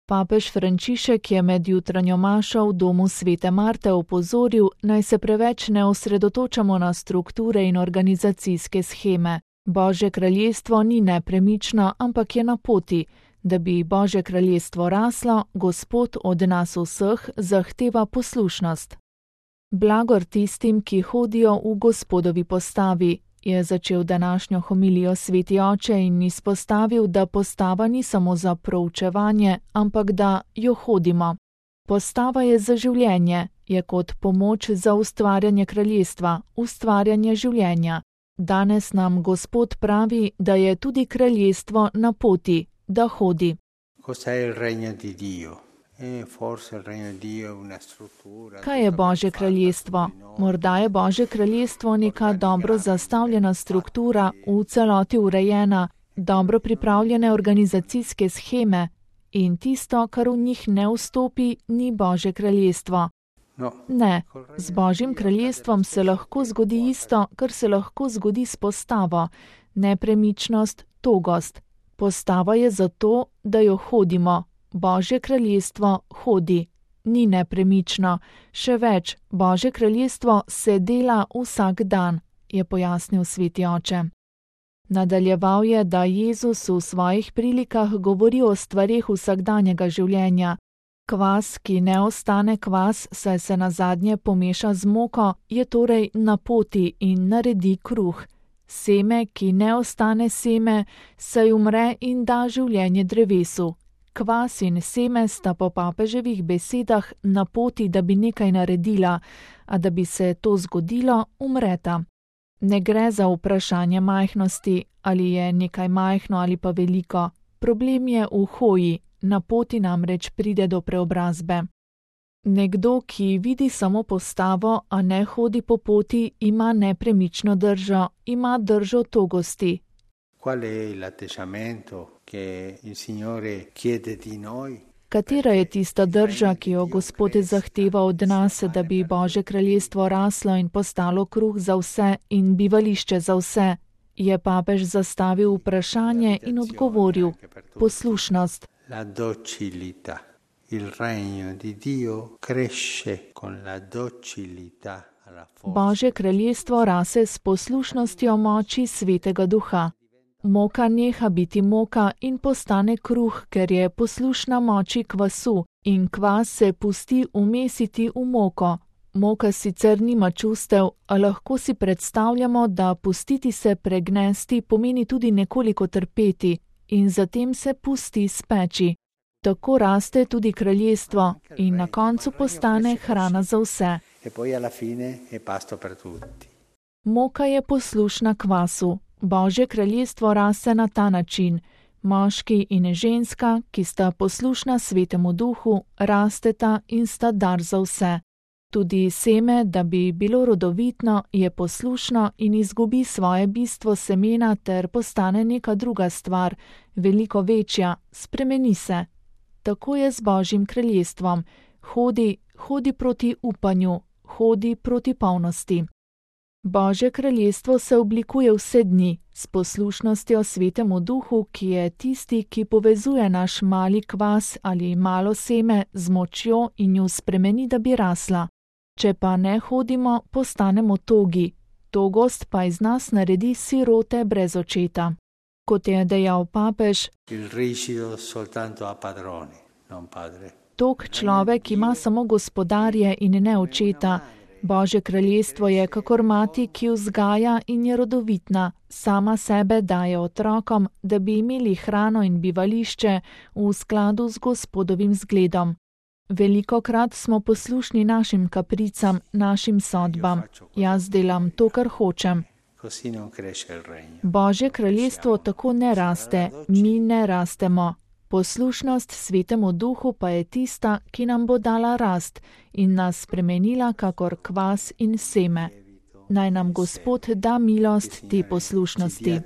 Papež Frančišek je med jutranjo mašo v domu svete Marte opozoril, naj se preveč ne osredotočamo na strukture in organizacijske sheme. Božje kraljestvo ni nepremično, ampak je na poti. Da bi Božje kraljestvo raslo, Gospod od nas vseh zahteva poslušnost. Blagor tistim, ki hodijo v Gospodovi postavi, je začel današnjo homilijo sveti oče in izpostavil, da postava ni samo za proučevanje, ampak da jo hodimo. Postava je za življenje, je kot pomoč za ustvarjanje kraljestva, ustvarjanje življenja. Danes nam Gospod pravi, da je tudi kraljestvo na poti, da hodi. Kaj je Božje kraljestvo? Morda je Božje kraljestvo neka dobro zastavljena struktura, v celoti urejena, dobro pripravljene organizacijske sheme in tisto, kar v njih ne vstopi, ni Božje kraljestvo. Ne, z Božjim kraljestvom se lahko zgodi isto, kar se lahko zgodi s postavo, nepremičnost, togost. Postava je zato, da jo hodimo. Božje kraljestvo hodi, ni nepremično. Še več, Božje kraljestvo se dela vsak dan, je pojasnil sveti oče. Nadaljeval je, da Jezus v svojih prilikah govori o stvareh vsakdanjega življenja. Kvas, ki ne ostane kvas, saj se nazadnje pomeša z moko, je torej na poti in naredi kruh. Seme, ki ne ostane seme, saj umre in da življenje drevesu. Kvas in seme sta po papeževih besedah na poti, da bi nekaj naredila, a da bi se to zgodilo, umreta. Ne gre za vprašanje majhnosti, ali je nekaj majhno ali pa veliko. Problem je v hoji, na poti namreč pride do preobrazbe. Nekdo, ki vidi samo postavo, a ne hodi po poti, ima nepremično držo, ima držo togosti. Katera je tista drža, ki jo Gospod zahteva od nas, da bi Božje kraljestvo raslo in postalo kruh za vse in bivališče za vse? Je papež zastavil vprašanje in odgovoril: poslušnost. Božje kraljestvo rase s poslušnostjo moči Svetega Duha. Moka neha biti moka in postane kruh, ker je poslušna moči kvasu, in kvas se pusti umesiti v moko. Moka sicer nima čustev, a lahko si predstavljamo, da pustiti se pregnesti pomeni tudi nekoliko trpeti in zatem se pusti speči. Tako raste tudi kraljestvo in na koncu postane hrana za vse. Moka je poslušna kvasu. Božje kraljestvo raste na ta način. Moški in ženska, ki sta poslušna Svetemu Duhu, rasteta in sta dar za vse. Tudi seme, da bi bilo rodovitno, je poslušno in izgubi svoje bistvo semena ter postane neka druga stvar, veliko večja, spremeni se. Tako je z Božjim kraljestvom. Hodi proti upanju, hodi proti polnosti. Božje kraljestvo se oblikuje vse dni, s poslušnostjo Svetemu Duhu, ki je tisti, ki povezuje naš mali kvas ali malo seme z močjo in jo spremeni, da bi rasla. Če pa ne hodimo, postanemo togi. Togost pa iz nas naredi sirote brez očeta. Kot je dejal papež, tog človek ima samo gospodarje in ne očeta. Božje kraljestvo je kakor mati, ki vzgaja in je rodovitna, sama sebe daje otrokom, da bi imeli hrano in bivališče v skladu z Gospodovim zgledom. Velikokrat smo poslušni našim kapricam, našim sodbam. Jaz delam to, kar hočem. Božje kraljestvo tako ne raste, mi ne rastemo. Poslušnost Svetemu Duhu pa je tista, ki nam bo dala rast in nas spremenila kakor kvas in seme. Naj nam Gospod da milost te poslušnosti.